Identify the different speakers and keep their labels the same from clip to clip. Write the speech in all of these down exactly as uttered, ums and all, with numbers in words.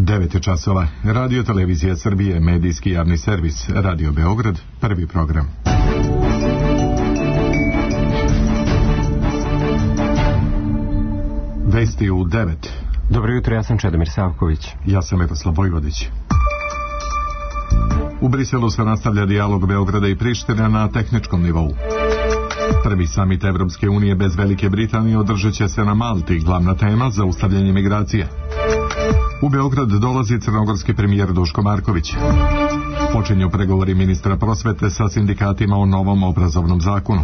Speaker 1: devet časova. Radio Televizija Srbije, medijski javni servis, Radio Beograd, prvi program. Vesti u devet.
Speaker 2: Dobro jutro, ja sam Čedomir Savković.
Speaker 1: Ja sam Miroslav Vojvodić. U Briselu se nastavlja dijalog Beograda i Prištine na tehničkom nivou. Prvi samit Evropske unije bez Velike Britanije održat će se na Malti, glavna tema zaustavljanje migracija. U Beograd dolazi crnogorski premijer Duško Marković. Počinju pregovori ministra prosvete sa sindikatima o novom obrazovnom zakonu.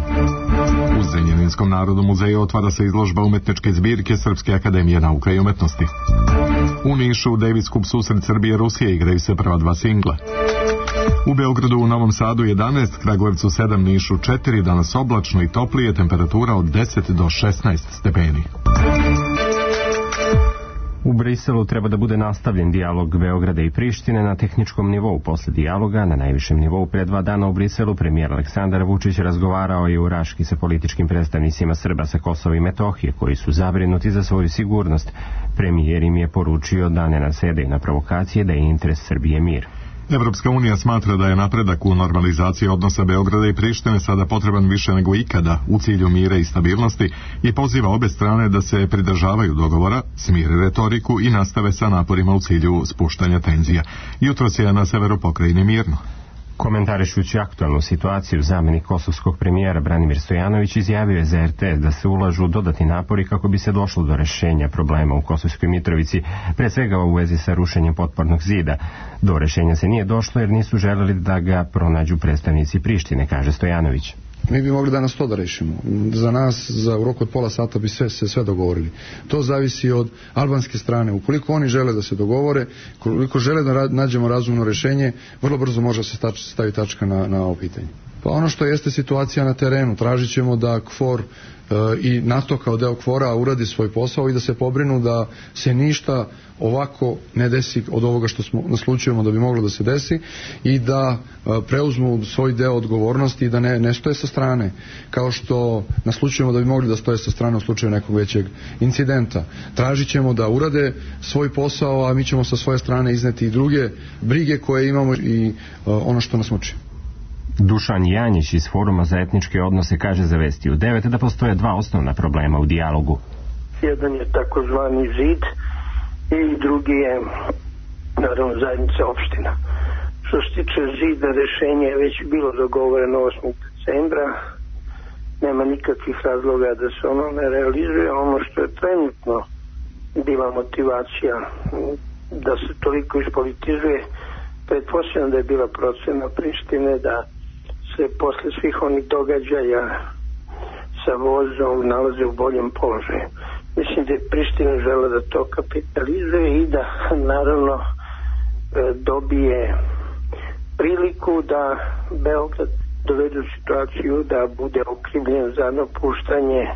Speaker 1: U Zrenjaninskom narodnom muzeju otvara se izložba umetničke zbirke Srpske akademije nauka i umetnosti. U Nišu Davis Cup susret Srbije Rusije igraju se prva dva singla. U Beogradu, u Novom Sadu jedanaest, Kragujevcu sedam, Nišu četiri, danas oblačno i toplije, temperatura od deset do šesnaest stepeni.
Speaker 2: U Briselu treba da bude nastavljen dijalog Beograda i Prištine na tehničkom nivou. Posle dijaloga na najvišem nivou pre dva dana u Briselu premijer Aleksandar Vučić razgovarao je u Raški sa političkim predstavnicima Srba sa Kosova i Metohije, koji su zabrinuti za svoju sigurnost. Premijer im je poručio da ne nasedaju na provokacije, da je interes Srbije mir.
Speaker 1: Evropska unija smatra da je napredak u normalizaciji odnosa Beograda i Prištine sada potreban više nego ikada u cilju mira i stabilnosti i poziva obe strane da se pridržavaju dogovora, smire retoriku i nastave sa naporima u cilju spuštanja tenzija. Jutros je na severu pokrajine mirno.
Speaker 2: Komentarišući aktualnu situaciju, zamenik kosovskog premijera Branimir Stojanović izjavio je za er te es da se ulažu dodatni napori kako bi se došlo do rešenja problema u Kosovskoj Mitrovici, pre svega u vezi sa rušenjem potpornog zida. Do rešenja se nije došlo jer nisu želeli da ga pronađu predstavnici Prištine, kaže Stojanović.
Speaker 3: Mi bi mogli danas to da rešimo. Za nas, za u roku od pola sata bi sve, se sve dogovorili. To zavisi od albanske strane. Ukoliko oni žele da se dogovore, koliko žele da nađemo razumno rešenje, vrlo brzo može se stač, stavi tačka na, na ovo pitanje. Pa ono što jeste situacija na terenu, tražit ćemo da KFOR e, i NATO kao deo KFOR-a uradi svoj posao i da se pobrinu da se ništa ovako ne desi od ovoga što smo naslučujemo da bi moglo da se desi i da e, preuzmu svoj deo odgovornosti i da ne, ne stoje sa strane, kao što naslučujemo da bi mogli da stoje sa strane u slučaju nekog većeg incidenta. Tražit ćemo da urade svoj posao, a mi ćemo sa svoje strane izneti i druge brige koje imamo i e, ono što nas muči.
Speaker 2: Dušan Janjić iz Foruma za etničke odnose kaže za Vesti u devet da postoje dva osnovna problema u dijalogu.
Speaker 4: Jedan je takozvani zid i drugi je naravno zajednica opština. Što se tiče zida, rešenje je već bilo dogovoreno osmog decembra. Nema nikakvih razloga da se ono ne realizuje. Ono što je trenutno bila motivacija da se toliko ispolitizuje, pretpostavljam da je bila procena Prištine da se posle svih onih događaja sa vozom nalaze u boljem položaju. Mislim da je Priština žela da to kapitalizuje i da naravno dobije priliku da Beograd dovede u situaciju da bude okrivljen za napuštanje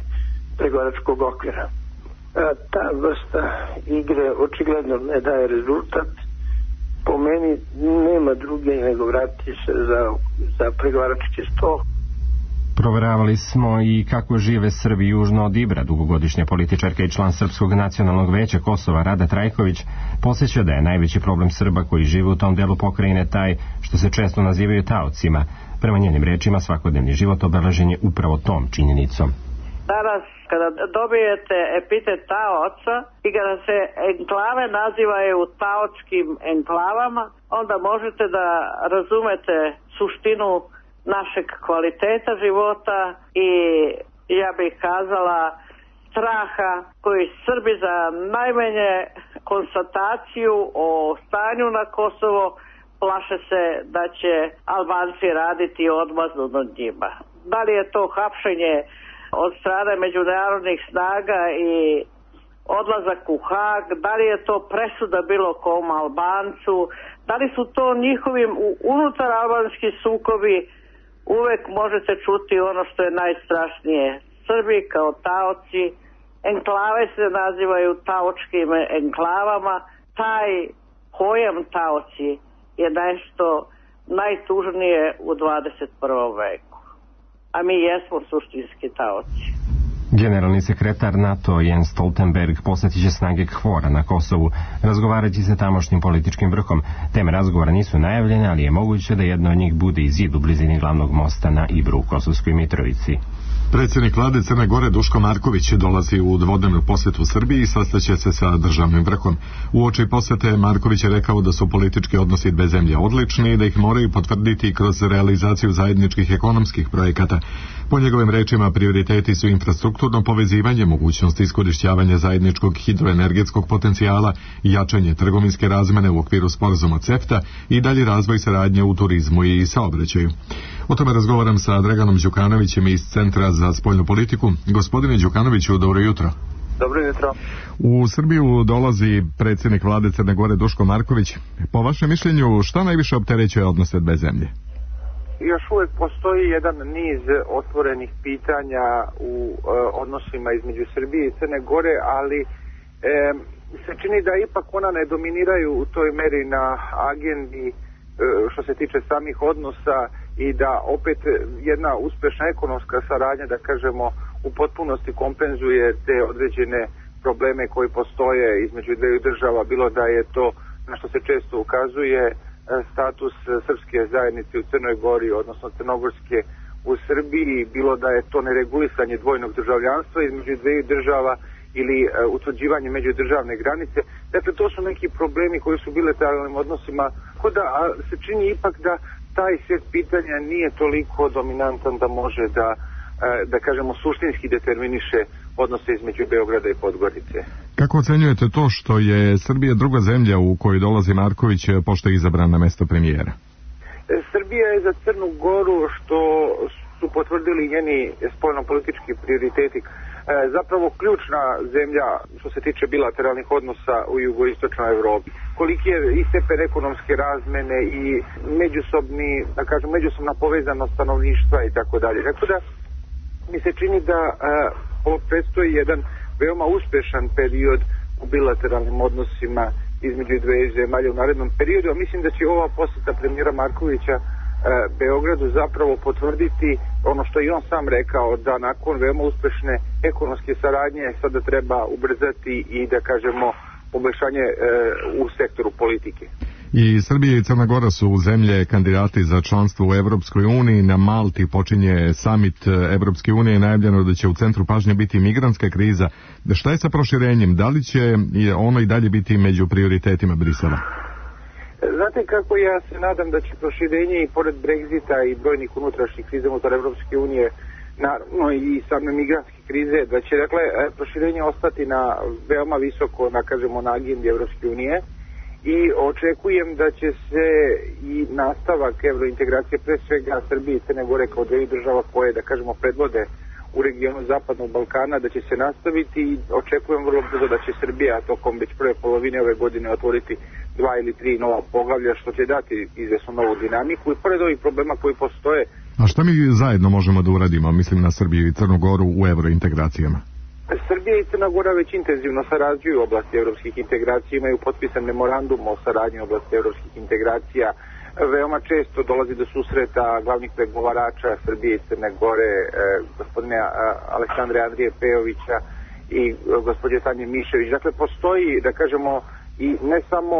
Speaker 4: pregovaračkog okvira. Ta vrsta igre očigledno ne daje rezultat. Po meni nema druge nego vratiti se za, za pregovarački stol.
Speaker 2: Proveravali smo i kako žive Srbi južno od Ibra. Dugogodišnja političarka i član Srpskog nacionalnog veća Kosova Rada Trajković posjeća da je najveći problem Srba koji žive u tom delu pokrajine taj što se često nazivaju taocima. Prema njenim rečima svakodnevni život obeležen je upravo tom činjenicom.
Speaker 5: Danas kada dobijete epitet taoca i kada se enklave nazivaju taočkim enklavama, onda možete da razumete suštinu našeg kvaliteta života i ja bih kazala straha koji Srbi za najmanje konstataciju o stanju na Kosovo plaše se da će Albanci raditi odmazdu nad njima. Da li je to hapšenje od strane međunarodnih snaga i odlazak u Hag, da li je to presuda bilo kom Albancu, da li su to njihovim unutar albanski sukobi, uvek možete čuti ono što je najstrašnije. Srbi kao taoci, enklave se nazivaju taočkim enklavama, taj pojam taoci je nešto najtužnije u dvadeset prvom veku. A mi jesmo suštinski taoci.
Speaker 2: Generalni sekretar NATO Jens Stoltenberg posjetit će snage KFOR-a na Kosovu, razgovarajući sa tamošnjim političkim vrhom. Teme razgovora nisu najavljene, ali je moguće da jedno od njih bude i zid u blizini glavnog mosta na Ibru u Kosovskoj Mitrovici.
Speaker 1: Predsjednik vlade Crne Gore Duško Marković dolazi u dvodnevnu posjetu Srbiji i sastaće se sa državnim vrhom. Uoči posjete Marković je rekao da su politički odnosi dve zemlje odlični i da ih moraju potvrditi kroz realizaciju zajedničkih ekonomskih projekata. Po njegovim rečima prioriteti su infrastrukturno povezivanje, mogućnost iskorišćavanja zajedničkog hidroenergetskog potencijala, jačanje trgovinske razmene u okviru sporazuma CEFTA i dalji razvoj saradnje u turizmu i saobraćaju. O tome razgovaram sa Draganom Đukanovićem iz Centra za spoljnu politiku. Gospodine Đukanoviću, dobro jutro.
Speaker 6: Dobro jutro.
Speaker 1: U Srbiju dolazi predsjednik vlade Crne Gore Duško Marković. Po vašem mišljenju, šta najviše opterećuje odnose dve zemlje?
Speaker 6: Još uvijek postoji jedan niz otvorenih pitanja u e, odnosima između Srbije i Crne Gore, ali e, se čini da ipak ona ne dominiraju u toj meri na agendi e, što se tiče samih odnosa i da opet jedna uspješna ekonomska saradnja, da kažemo, u potpunosti kompenzuje te određene probleme koji postoje između dveju država, bilo da je to, na što se često ukazuje, status srpske zajednice u Crnoj Gori, odnosno crnogorske u Srbiji, bilo da je to neregulisanje dvojnog državljanstva između dveju država ili uh, utvrđivanje međudržavne granice. Dakle, to su neki problemi koji su bilateralnim odnosima, kod da a, se čini ipak da taj set pitanja nije toliko dominantan da može da, uh, da kažemo, suštinski determiniše odnose između Beograda i Podgorice.
Speaker 1: Kako ocenjujete to što je Srbija druga zemlja u kojoj dolazi Marković pošto je izabran na mesto premijera?
Speaker 6: Srbija je za Crnu Goru, što su potvrdili njeni spoljno-politički prioriteti, zapravo ključna zemlja što se tiče bilateralnih odnosa u jugoistočnoj Evropi. Koliki je i stepen ekonomske razmene i međusobni, da kažem, međusobna povezanost stanovništva i tako dalje. Tako da mi se čini da ovo predstoji jedan veoma uspešan period u bilateralnim odnosima između dve zemalja u narednom periodu, a mislim da će ova posjeta premijera Markovića e, Beogradu zapravo potvrditi ono što i on sam rekao, da nakon veoma uspešne ekonomske saradnje sada treba ubrzati i, da kažemo, poboljšanje e, u sektoru politike.
Speaker 1: I Srbija i Crna Gora su zemlje kandidati za članstvo u Evropskoj uniji. Na Malti počinje samit Evropske unije, najavljeno da će u centru pažnje biti migrantska kriza. Šta je sa proširenjem? Da li će ono i dalje biti među prioritetima Brisela?
Speaker 6: Znate kako, ja se nadam da će proširenje i pored Brexita i brojnih unutrašnjih kriza unutar Evropske unije, naravno i same migrantske krize, da će, dakle, proširenje ostati na veoma visoko, da kažemo, na agendi Evropske unije. I očekujem da će se i nastavak evrointegracije, pre svega Srbije i Crne Gore kao dvije država koje, da kažemo, predvode u regionu Zapadnog Balkana, da će se nastaviti i očekujem vrlo brzo da će Srbija tokom već prve polovine ove godine otvoriti dva ili tri nova poglavlja, što će dati izvesnu novu dinamiku i pored ovih problema koji postoje.
Speaker 1: A šta mi zajedno možemo da uradimo, mislim na Srbiju i Crnu Goru, u evrointegracijama?
Speaker 6: Srbija i Crna Gora već intenzivno sarađuju u oblasti evropskih integracija, imaju potpisan memorandum o saradnji u oblasti evropskih integracija. Veoma često dolazi do susreta glavnih pregovarača Srbije i Crne Gore, eh, gospodine Aleksandre Andrije Pejovića i eh, gospođe Tanje Mišević. Dakle, postoji, da kažemo, i ne samo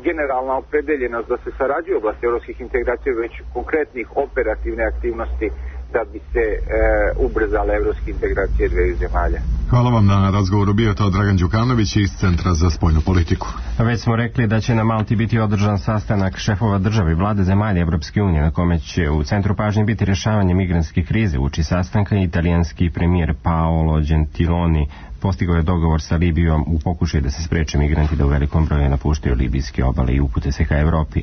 Speaker 6: generalna opredeljenost da se sarađuje u oblasti evropskih integracija, već konkretnih operativne aktivnosti da bi se e, ubrzale evropske integracije dveju zemalja.
Speaker 1: Hvala vam na razgovoru. Bio to Dragan Đukanović iz Centra za spoljnu politiku.
Speaker 2: Već smo rekli da će na Malti biti održan sastanak šefova države i vlade zemalja Evropske unije, na kome će u centru pažnje biti rješavanje migrantske krize. Uoči sastanka italijanski premijer Paolo Gentiloni postigao je dogovor sa Libijom u pokušaju da se spreče migranti da u velikom broju napuštaju libijske obale i upute se ka Evropi.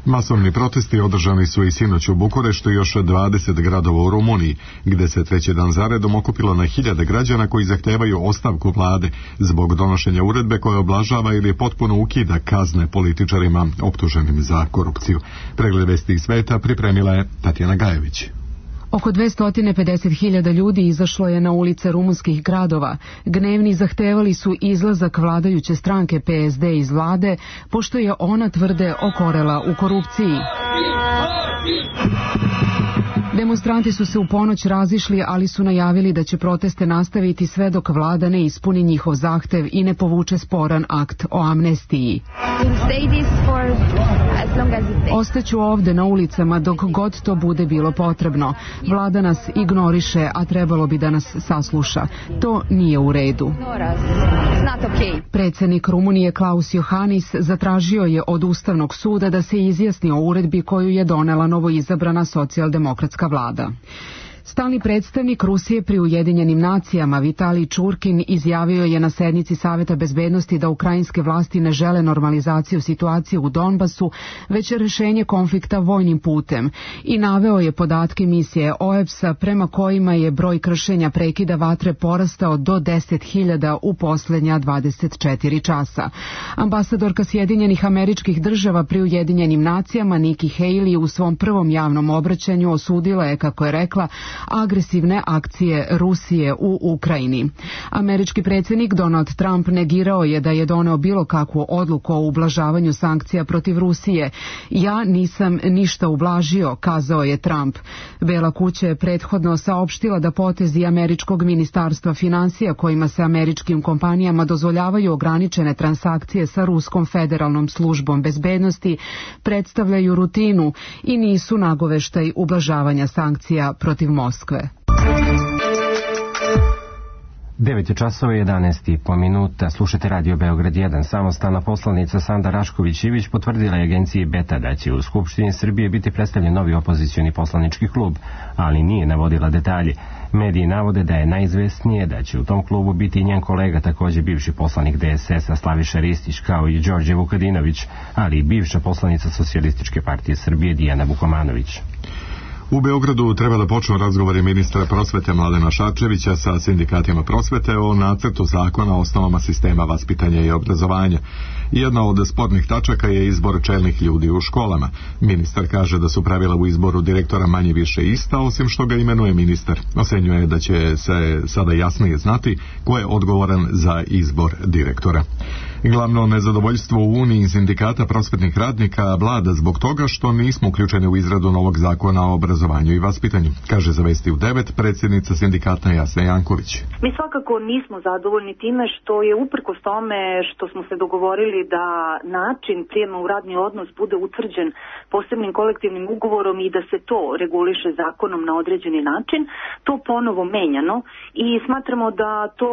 Speaker 1: Masovni protesti održani su i sinoć u Bukureštu i još dvadeset gradova u Rumuniji, gde se treći dan zaredom okupilo na hiljade građana koji zahtevaju ostavku vlade zbog donošenja uredbe koja oblažava ili potpuno ukida kazne političarima optuženim za korupciju. Pregled vesti iz sveta pripremila je Tatjana Gajević.
Speaker 7: Oko dvesta pedeset hiljada ljudi izašlo je na ulice rumunskih gradova. Gnevni zahtevali su izlazak vladajuće stranke P S D iz vlade, pošto je ona, tvrde, okorela u korupciji. Demonstranti su se u ponoć razišli, ali su najavili da će proteste nastaviti sve dok vlada ne ispuni njihov zahtev i ne povuče sporan akt o amnestiji. Ostaću ovde na ulicama dok god to bude bilo potrebno. Vlada nas ignoriše, a trebalo bi da nas sasluša. To nije u redu. Predsjednik Rumunije Klaus Johannis zatražio je od Ustavnog suda da se izjasni o uredbi koju je donela novoizabrana socijaldemokratska vlada. Stalni predstavnik Rusije pri Ujedinjenim nacijama Vitalij Čurkin izjavio je na sednici Saveta bezbednosti da ukrajinske vlasti ne žele normalizaciju situacije u Donbasu, već rešenje konflikta vojnim putem i naveo je podatke misije O E B S-a prema kojima je broj kršenja prekida vatre porastao do deset hiljada u posljednja dvadeset četiri časa. Ambasadorka Sjedinjenih Američkih Država pri Ujedinjenim nacijama Nikki Haley u svom prvom javnom obraćanju osudila je, kako je rekla, agresivne akcije Rusije u Ukrajini. Američki predsjednik Donald Trump negirao je da je doneo bilo kakvu odluku o ublažavanju sankcija protiv Rusije. Ja nisam ništa ublažio, kazao je Trump. Bela kuća je prethodno saopštila da potezi američkog ministarstva financija kojima se američkim kompanijama dozvoljavaju ograničene transakcije sa Ruskom federalnom službom bezbednosti predstavljaju rutinu i nisu nagoveštaj ublažavanja sankcija protiv Moskve.
Speaker 2: devet je časova i jedanaest i po minuta. Slušate Radio Beograd jedan. Samostalna poslanica Sanda Rašković-Ivić potvrdila je agenciji Beta da će u Skupštini Srbije biti predstavljen novi opozicioni poslanički klub, ali nije navodila detalje. Mediji navode da je najizvesnije da će u tom klubu biti i njen kolega, također bivši poslanik D S S-a Slaviša Ristić, kao i Đorđe Vukadinović, ali i bivša poslanica Socijalističke partije Srbije Dijana Vukomanović.
Speaker 1: U Beogradu treba da počnu razgovori ministra prosvete Mladena Šarčevića sa sindikatima prosvete o nacrtu zakona o osnovama sistema vaspitanja i obrazovanja. Jedna od spornih tačaka je izbor čelnih ljudi u školama. Ministar kaže da su pravila u izboru direktora manje više ista, osim što ga imenuje ministar. Osenjuje da će se sada jasnije znati ko je odgovoran za izbor direktora. Glavno nezadovoljstvo u Uniji sindikata prosvetnih radnika vlada zbog toga što nismo uključeni u izradu novog zakona o obrazovanju i vaspitanju, kaže za Vesti u devet predsjednica sindikata Jasna Janković.
Speaker 8: Mi svakako nismo zadovoljni time što je uprkos tome što smo se dogovorili da način prijema u radni odnos bude utvrđen posebnim kolektivnim ugovorom i da se to reguliše zakonom na određeni način, to ponovo menjano i smatramo da to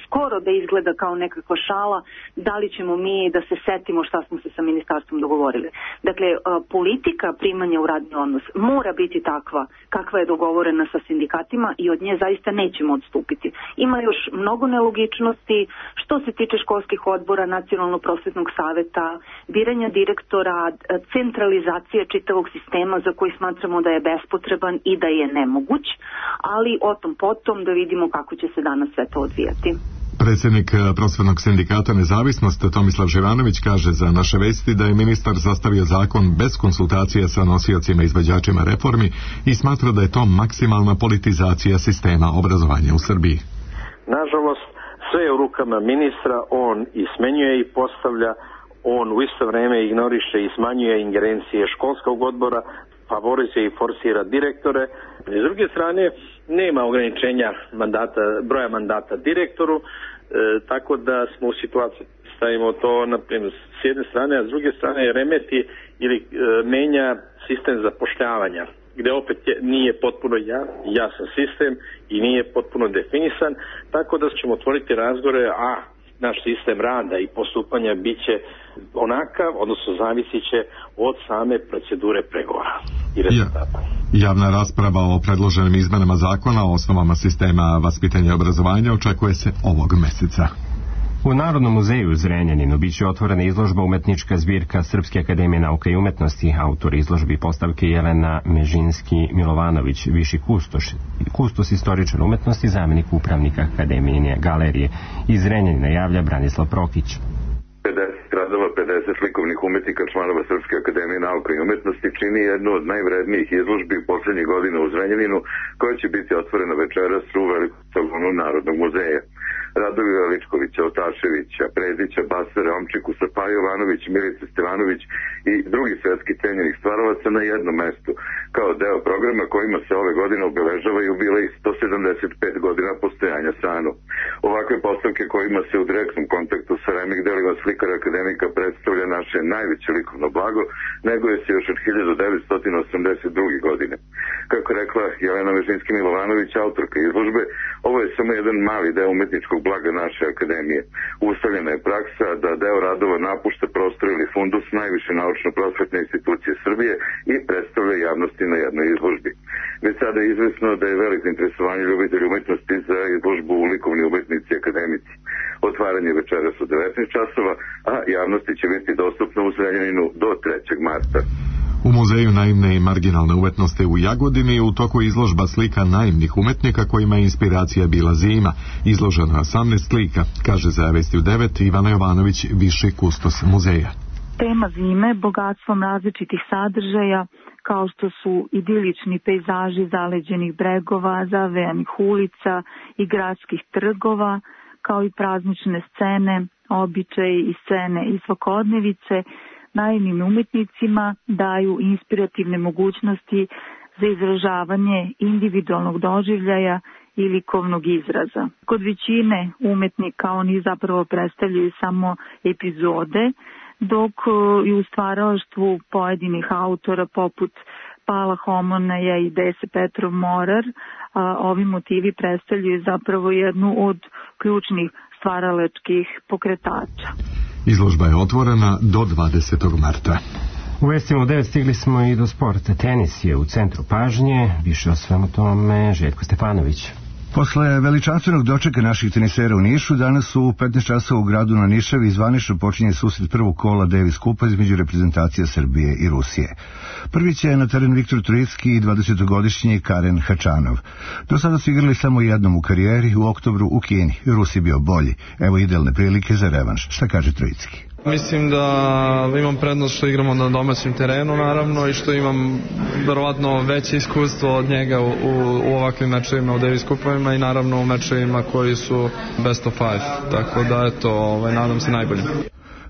Speaker 8: skoro da izgleda kao nekakva šala, da li ćemo mi da se setimo šta smo se sa ministarstvom dogovorili. Dakle, politika primanja u radni odnos mora biti takva kakva je dogovorena sa sindikatima i od nje zaista nećemo odstupiti. Ima još mnogo nelogičnosti što se tiče školskih odbora, nacionalnog prosvetnog saveta, biranja direktora, centralizacije čitavog sistema za koji smatramo da je bespotreban i da je nemoguć, ali o tom potom da vidimo kako će se danas sve to odvijati.
Speaker 1: Predsjednik prosvetnog sindikata Nezavisnost Tomislav Živanović kaže za Naše vesti da je ministar sastavio zakon bez konsultacija sa nosiocima i izvođačima reformi i smatra da je to maksimalna politizacija sistema obrazovanja u Srbiji.
Speaker 9: Nažalost, sve je u rukama ministra, on i smenjuje i postavlja, on u isto vrijeme ignoriše i smanjuje ingerencije školskog odbora, favorizuje i forsira direktore. S druge strane, nema ograničenja mandata, broja mandata direktoru, e, tako da smo u situaciji, stavimo to na primjer s jedne strane, a s druge strane remeti ili e, menja sistem zapošljavanja, gdje opet je, nije potpuno jasan sistem i nije potpuno definisan, tako da ćemo otvoriti razgovore, a naš sistem rada i postupanja bit će onakav, odnosno zavisit će od same procedure pregovora i rezultata.
Speaker 1: Ja, javna rasprava o predloženim izmenama zakona o osnovama sistema vaspitanja i obrazovanja očekuje se ovog meseca.
Speaker 2: U Narodnom muzeju u Zrenjaninu biće otvorena izložba umetnička zbirka Srpske akademije nauka i umetnosti. Autor izložbi postavke Jelena Mežinski-Milovanović, viši kustoš, kustos istoričar umetnosti, zamjenik upravnika Akademijine galerije. Iz Zrenjanina javlja Branislav Prokić.
Speaker 10: pedeset radova, pedeset likovnih umetnika, članova Srpske akademije nauka i umetnosti čini jednu od najvrednijih izložbi u posljednjih godina u Zrenjaninu, koja će biti otvorena večeras u velikom salonu Narodnog muzeja. Radovi Veličkovića, Otaševića, Predića, Basara, Omčikusa, Paja Jovanović, Milice Stevanović i drugih svetski cenjenih stvaralaca na jednom mestu. kao deo programa kojima se ove godine obeležava jubilej sto sedamdeset pet godina postojanja S A N-u. Ovakve postavke kojima se u direktnom kontaktu sa remik delima slikara akademika predstavlja naše najveće likovno blago, neguje se još od hiljadu devetsto osamdeset druge. godine. Kako rekla Jelena Vežinski-Milovanović, autorka izložbe, ovo je samo jedan mali deo umetničkog blaga naše akademije. Ustavljena je praksa da deo radova napušta prostor ili fundus najviše naučno-prosvetne institucije Srbije i predstavlja javnosti na jednoj izložbi. Već sada je izvesno da je veliko interesovanje ljubitelja umetnosti za izložbu u likovni umetnici akademici. Otvaranje večeras u devetnaest časova, a javnosti će biti dostupno u Zrenjaninu do trećeg marta.
Speaker 1: U Muzeju naivne i marginalne umetnosti u Jagodini je u toku izložba slika naivnih umetnika kojima je inspiracija bila zima. Izloženo je osamnaest slika, kaže za Vesti u devet Ivana Jovanović, viši kustos muzeja.
Speaker 11: Tema zime bogatstvom različitih sadržaja, kao što su idilični pejzaži zaleđenih bregova, zavejanih ulica i gradskih trgova, kao i praznične scene, običaji i scene iz svakodnevice, naivnim umetnicima daju inspirativne mogućnosti za izražavanje individualnog doživljaja i likovnog izraza. Kod većine umetnika oni zapravo predstavljaju samo epizode, dok i u stvaralaštvu pojedinih autora poput Pala Homonaja i Dese Petrov Morar ovi motivi predstavljaju zapravo jednu od ključnih stvaralačkih pokretača.
Speaker 1: Izložba je otvorena do dvadesetog marta.
Speaker 2: U vestima u devet stigli smo i do sporta. Tenis je u centru pažnje. Više o svemu tome Željko Stefanović.
Speaker 12: Posle veličanstvenog dočeka naših tenisera u Nišu, danas u petnaest časova u gradu na Nišavi zvanično počinje susret prvog kola Davis kupa između reprezentacija Srbije i Rusije. Prvi će na teren Viktor Trojicki i dvadesetogodišnji Karen Hačanov. Do sada su igrali samo jednom u karijeri, u oktobru u Kini. Rus je bio bolji. Evo idealne prilike za revanš. Šta kaže Trojicki?
Speaker 13: Mislim da imam prednost što igramo na domaćem terenu, naravno, i što imam verovatno veće iskustvo od njega u, u, u ovakvim mečevima u Davis kupovima i naravno u mečevima koji su best of five, tako da eto, ovaj, nadam se najbolje.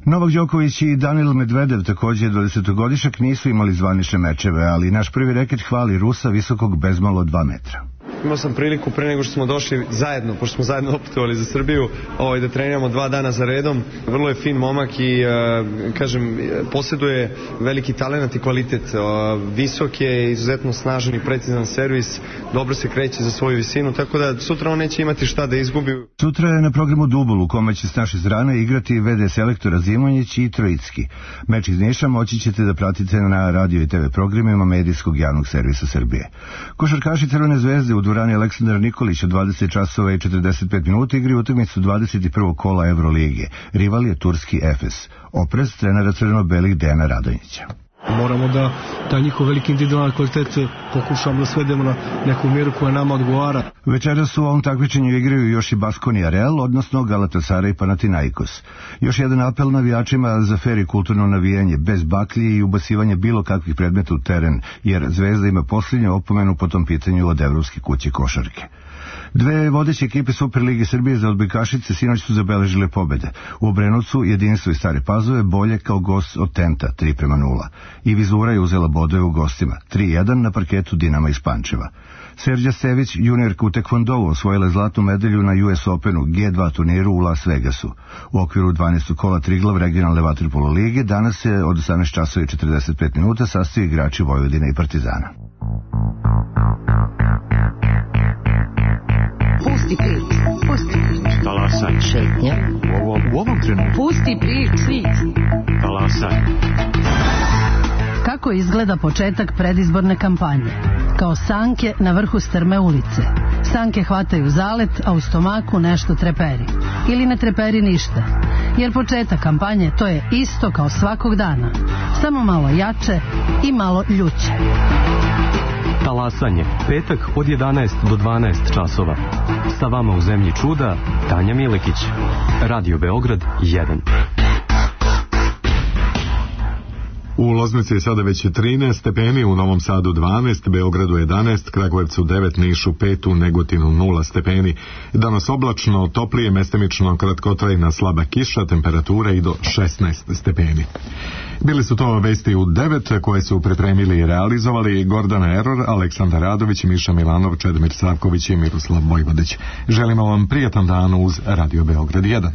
Speaker 12: Novak Đoković i Danil Medvedev, također dvadesetogodišnjak, nisu imali zvanične mečeve, ali naš prvi reket hvali Rusa visokog bezmalo dva metra.
Speaker 14: Imao sam priliku pre nego što smo došli zajedno, pošto smo zajedno oputovali za Srbiju, ovaj, da treniramo dva dana za redom. Vrlo je fin momak i, uh, kažem, posjeduje veliki talent i kvalitet. Uh, visok je, izuzetno snažan i precizan servis, dobro se kreće za svoju visinu, tako da sutra on neće imati šta da izgubi.
Speaker 12: Sutra je na programu dubl u kome će s naše strane igrati ve de selektora Zimonjić i Trojicki. Meč iz Niša moći ćete da pratite na radio i te ve programima medijskog javnog servisa Srbije. Košarkaši Crvene zvezde u dvorani Aleksandar Nikolić od dvadeset časova i četrdeset pet minuta igri utakmicu dvadeset prvog kola Evrolige. Rival je turski Efes. Oprez trenera crveno-belih Dejana Radonjića.
Speaker 15: Moramo da taj njihov veliki individualni kvalitet pokušamo da svedemo na neku mjeru koja nama odgovara.
Speaker 12: Večeras u ovom takmičenju igraju još i Baskonia Real, odnosno Galatasaray i Panathinaikos. Još jedan apel navijačima za fer i kulturno navijanje, bez baklji i ubacivanje bilo kakvih predmeta u teren, jer Zvezda ima posljednju opomenu po tom pitanju od Evropske kuće košarke. Dve vodeće ekipe Superlige Srbije za odbojkašice sinoć su zabeležile pobede. U Obrenovcu Jedinstvo iz Stare Pazove bolje kao gost od Tenta tri prema nula. I Vizura je uzela bodove u gostima tri jedan na parketu Dinama iz Pančeva. Serđa Stević, juniorka u tekvondou, osvojila je zlatnu medalju na U S Openu G dva turniru u Las Vegasu. U okviru dvanaestog kola Triglav regionalne vaterpolo lige danas se od osamnaest časova i četrdeset pet minuta sastaju igrači Vojvodine i Partizana.
Speaker 16: Pusti prič, pusti prič.
Speaker 17: Talasaj.
Speaker 16: Šetnja.
Speaker 17: U ovom, u ovom trenutku.
Speaker 16: Pusti prič, prič.
Speaker 17: Talasaj.
Speaker 18: Kako izgleda početak predizborne kampanje? Kao sanke na vrhu strme ulice. Sanke hvataju zalet, a u stomaku nešto treperi. Ili ne treperi ništa. Jer početak kampanje to je isto kao svakog dana. Samo malo jače i malo ljuće.
Speaker 17: Talasanje, petak od jedanaest do dvanaest časova. Sa vama u zemlji čuda, Tanja Milekić. Radio Beograd jedan.
Speaker 1: U Loznici je sada već trinaest stepeni, u Novom Sadu dvanaest, Beogradu jedanaest, Kragujevcu devet, Nišu pet, u Negotinu nula stepeni. Danas oblačno, toplije, mestimično kratkotrajna slaba kiša, temperatura i do šesnaest stepeni. Bili su to vesti u devet koje su pripremili i realizovali Gordana Eror, Aleksandar Radović, Miša Milanov, Čedomir Savković i Miroslav Vojvodić. Želimo vam prijatan dan uz Radio Beograd jedan.